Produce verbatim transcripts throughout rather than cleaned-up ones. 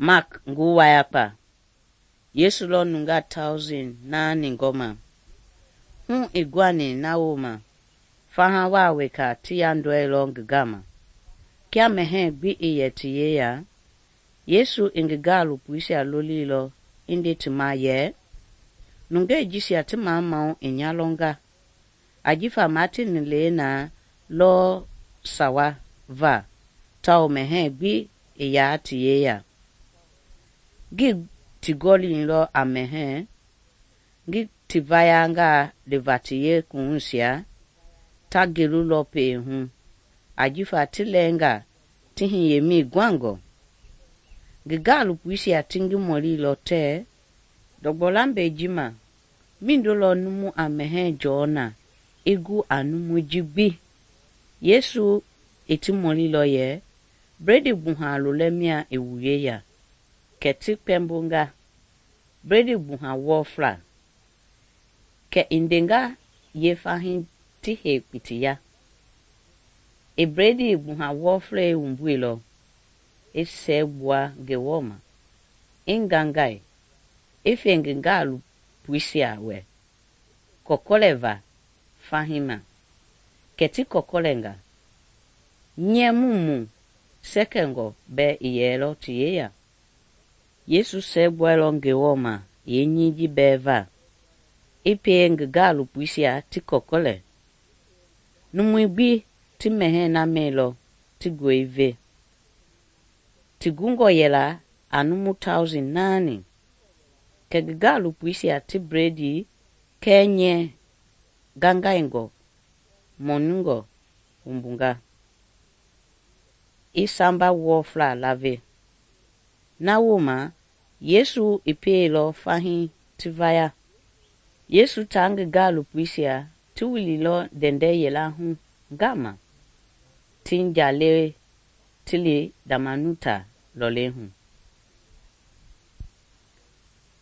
Mark ngi wayakpa. Yesu lɔ nungaa thousand naani gɔma. Hu i guani na wooma, faha waa weka ti yandɔɛilɔ ngi gama. Kia mɛhɛɛ gbi i yɛ ti yeya, Yesu i ngi gaalopoisia lolilɔ i nde ti ma yɛ, nungei jisia ti mamau i nya lɔnga, ajifa Maatini lena lɔ sawa va tawao mɛhɛɛ gbi i yaa ti yeya. Ngi ti gɔlinlɔ a mɛhɛɛ, ngi ti vayangaa liva ti yeekuwuisia, ta gelulɔ pee hu, ajifa ti lɛɛnga ti hiyemii guangɔ. Ngi gaalopoisia ti ngi mɔlilɔ tɛɛ, ndɔgbɔ lambɛi ji ma, mindo lɔ numu a mɛhɛɛ jɔɔ na i gu a numui ji gbi? Yesu i ti mɔlilɔ yɛ, bredi gbuha lolɛ mia i wu yeya? Kɛ ti kpɛmbonga, bredi gbuha wɔfla. Kɛ i ndenga ye fahii ti hei kpitiya. I bredi gbuha wɔflɛi wumbuilɔ, i sɛɛ gbua Ngewɔ ma, i ngangai, i fe ngi gaalopoisia wɛ, kɔkɔlɛ va fahii ma. Kɛ ti kɔkɔlɛnga, nyɛ mumu sɛkɛngɔ bɛɛ i yɛlɔ ti yeya. Yesu sɛɛ gbuailɔ Ngewɔ ma yeenyii ji bɛɛ va, i pie ngi gaalopoisia ti kɔkɔlɛ. Numui gbi ti mɛhɛɛ na mɛilɔ ti gɔi ve. Ti gungɔ yɛla a numu thousand naani. Kɛ ngi gaalopoisia ti bredi kɛɛ nyɛ gangaingɔ mɔnungɔ wumbunga, i samba wɔfla lave. Na wooma, Yesu i pieilɔ fahii ti vaya. Yesu taa ngi gaalopoisia ti wililɔ ndɛndɛ yɛla hu ngama, ti njale ti li Damanuta lɔlei hu.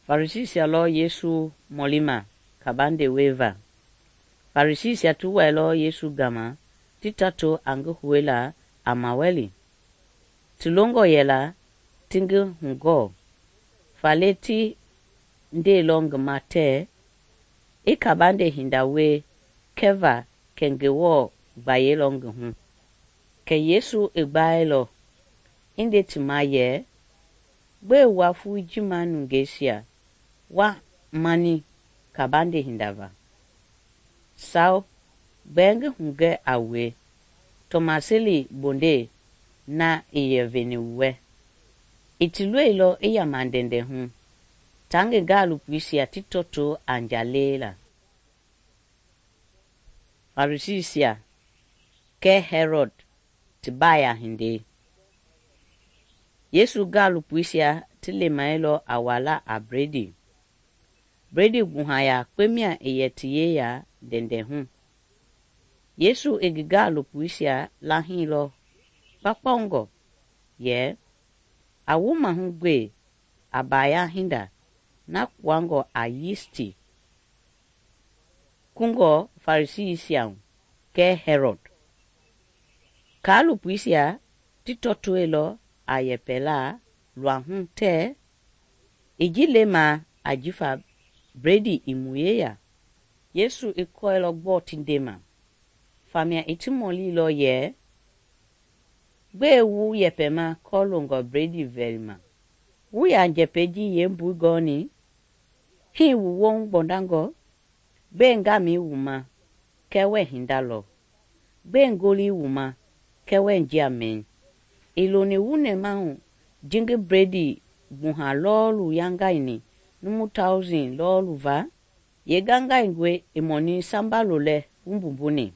Farisisia lɔ Yesu mɔlima kabandewei va. Farisisia ti wailɔ Yesu gama ti tato a ngi houela a mawɛli. Ti longɔ yɛla ti ngi hugɔɔ, faale ti ndeilɔ ngi ma tɛɛ, i kabande hinda wie kɛva kɛ Ngewɔ gbayeilɔ ngi hu. Kɛ Yesu i gbaɛlɔ, i nde ti ma yɛ, gbɛe wua fui ji ma nungeisia wa mani kabande hinda va? Sao, gbɛɛ ngi hugɛ a wue, tɔmaseli bonde na i yɛ veni wu wɛ. I ti loilɔ i yama ndɛndɛ hu, ta ngi gaalopoisia ti tɔto a njalei la. Farisisia kɛ Herod ti baaya hindei. Yesu gaalopoisia ti lemailɔ a wala a bredi. Bredi gbuha yakpe mia i yɛ ti yeya ndɛndɛ hu. Yesu i ngi gaalopoisia lahiilɔ kpakpɔngɔ yɛ, a wu mahu gbe a baaya hinda na kpuangɔ a yisti kungɔ Farisisia hu kɛ Herod. Kaalopoisia ti tɔtoilɔ a yɛpɛla luahu tɛɛ, i ji lema ajifa bredi i mu yeya. Yesu i kɔilɔ gbɔɔ ti ndema, famia i ti mɔlilɔ yɛ, gbɛe wu yɛpɛma kɔɔlongɔ bredi vɛlima? Wu ya njɛpɛi ji yeembui gɔɔni? Hii wu wɔŋ gbɔndangɔ? Gbɛe ngamii wu ma kɛ wɛ hinda lɔ? Gbɛe ngolii wu ma kɛ wɛ njia mɛi? I loni wu nɛmahu ji ngi bredi gbuha lɔɔlu yangaini numu thousand lɔɔlu va? Ye gangaingɔe i mɔni samba lolɛ wumbumbuni.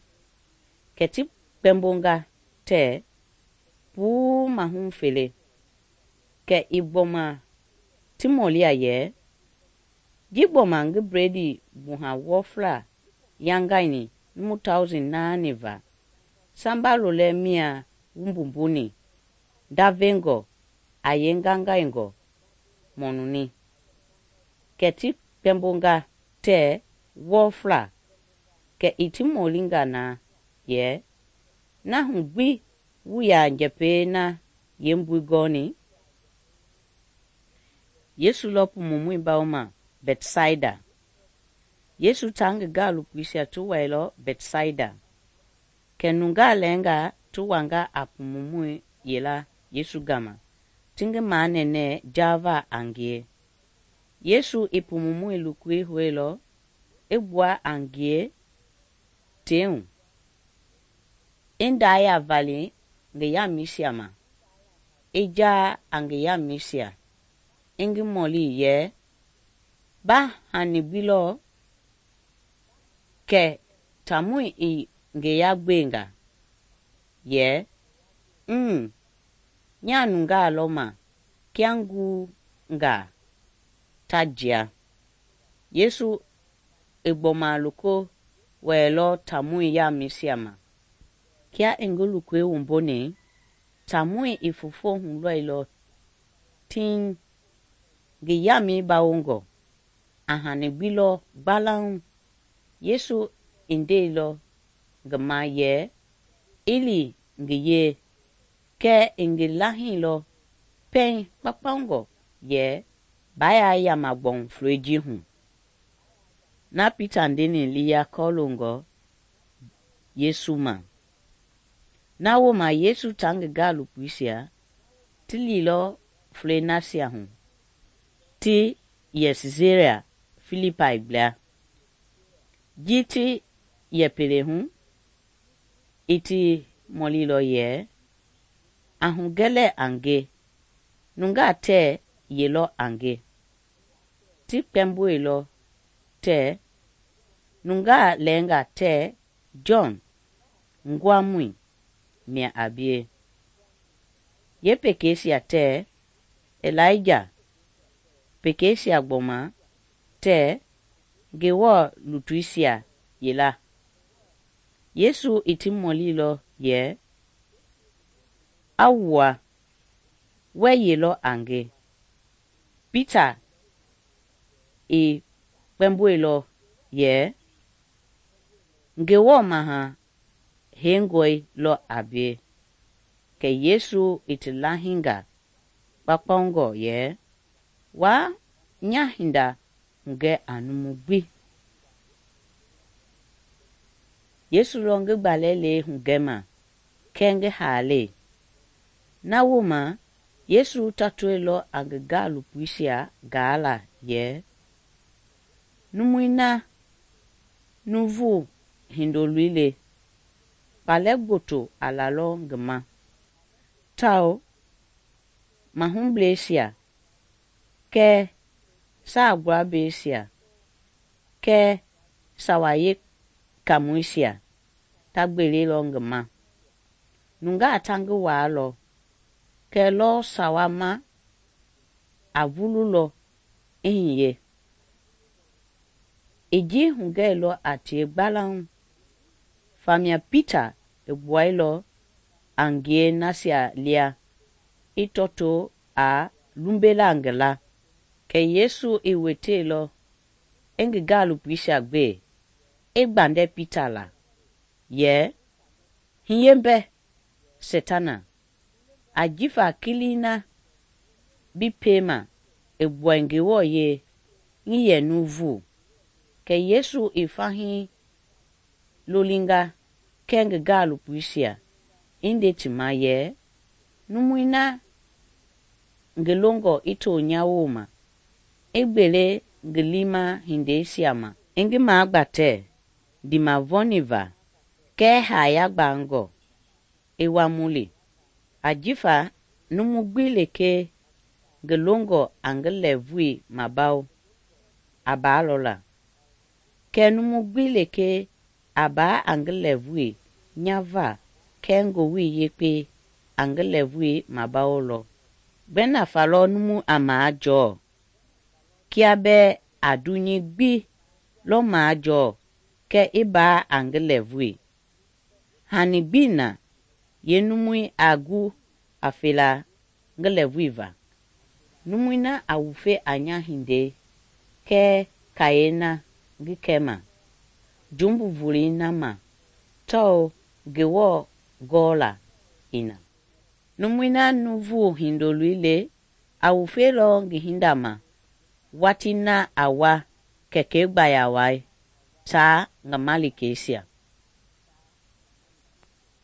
Kɛ ti kpɛmbonga tɛɛ, puu mahu fele. Kɛ i gbɔma ti mɔlia yɛ, ji gbɔma ngi bredi gbuha wɔfla yangaini numu thousand naani va, samba lolɛ mia wumbumbuni, davengɔ a ye gangaingɔ mɔnuni. Kɛ ti kpɛmbonga tɛɛ wɔfla. Kɛ i ti mɔlinga na yɛ, na hu gbi wu ya njɛpɛi na yeembui gɔɔni? Yesu lɔ pumumɔi bawoma Bɛtsaida. Yesu taa ngi gaalopoisia ti wailɔ Bɛtsaida. Kɛ nungaa lɛɛngaa ti wanga a pumumɔi yila Yesu gama ti ngi manɛnɛ jaava a ngie. Yesu i pumumɔi lokoi houilɔ i gbua a ngie tei hu, i ndaa yavali ngi yamɛisia ma, i jaa a ngi yamɛisia, i ngi mɔli yɛ, ba hani gbi lɔ? Kɛ taamɔi i ngi yagbenga yɛ, “Mm, nyaa nungaa lɔ ma kia nguungaa ta jia.” Yesu i gbɔma loko wɛilɔ taamɔi yamɛisia ma. Kia i ngi lokoi wumbuni, taamɔi i foofo hulɔilɔ tiŋ, ngi yamɛi bawongɔ, a hani gbi lɔ gbalauŋ. Yesu i ndeilɔ ngi ma yɛ i li ngi yee, kɛɛ i ngi lahiilɔ pɛiŋ kpaukpaungɔ yɛ baa yaa yama gbɔŋ flɔi ji hu. Na Pita ndeni liya kɔloongɔ Yesu ma. Na wooma Yesu taa ngi gaalopoisia ti liilɔ flɔi nasia hu ti yɛ Sisaria Filipai gbla. Ji ti yɛ pele hu, i ti mɔlilɔ yɛ, “A hugɛlɛ a nge, nungaa tɛɛ ye lɔ a nge?” Ti kpɛmboilɔ tɛɛ, “Nungaa lɛɛngaa tɛɛ Jɔn Nguamɔi mia a bie, yeepekeisia tɛɛ Ilaija, pekeisia gbɔma tɛɛ Ngewɔ lutuisia yila.” Yesu i ti mɔlilɔ yɛ, “A wua, wɛɛ ye lɔ a nge?” Pita i kpɛmboilɔ yɛ, “Ngewɔ Maha Heingɔi lɔ a bie.” Kɛ Yesu i ti lahiinga kpaukpaungɔ yɛ, “Waa nya hinda hugɛ a numu gbi.” Yesu lɔ ngi gbalɛlei hugɛma kɛɛ ngi haalei. Na wooma Yesu tatoilɔ a ngi gaalopoisia gaala yɛ, “Numui na Nuuvu Hindoloi le, kpalɛ gboto a lalɔ ngi ma, tawao mahubleisia kɛɛ saagbuablɛisia kɛɛ Sawa Yeekaamɔisia ta gbelelɔ ngi ma. Nungaa ta ngi waalɔ, kɛɛ lɔɔ sawa ma a vululɔ i hiye.” I ji hugɛilɔ a tie gbalauŋ. Famia Pita i gbuailɔ a ngie nasia lia i tɔto a lumbela ngi la. Kɛ Yesu i weteilɔ i ngi gaalopoisia gbe, i gbandɛ Pita la yɛ, “Hiye mbɛ, Setana! Ajifa kilii na bi piema i gbuai Ngewɔ yee ngi yɛ nuuvu.” Kɛ Yesu i fahii lolinga kɛɛ ngi gaalopoisia, i nde ti ma yɛ, “Numui na ngi longɔ i to nya wooma, i gbele ngi liima hindeisia ma, i ngi magbatɛ ndiimavɔniva kɛɛ haaya gbangɔ i wa mu li. Ajifa numu gbi lekee ngi longɔ a ngi lɛɛvui mabawo, a baalɔ la. Kɛɛ numu gbi lekee a baa a ngi lɛɛvui nyava kɛɛ Ngowili Yekpei a ngi lɛɛvui mabawolɔ. Gbɛ nafa lɔ numu a majɔɔ? Kia bɛɛ a dunyei gbi lɔ majɔɔ kɛ i baa a ngi lɛɛvui. Hani gbii na yeenumui a gu a fela ngi lɛɛvui va. Numui na a wufe a nya hindei kɛɛ kayee na ngi kɛma, jumbu volei na ma, tawao Ngewɔ gɔɔla i na. Numui na Nuuvu Hindoloi le, a wufeilɔ ngi hinda ma watii na a wa Kɛkɛi gbaya wai taa ngi malikeisia.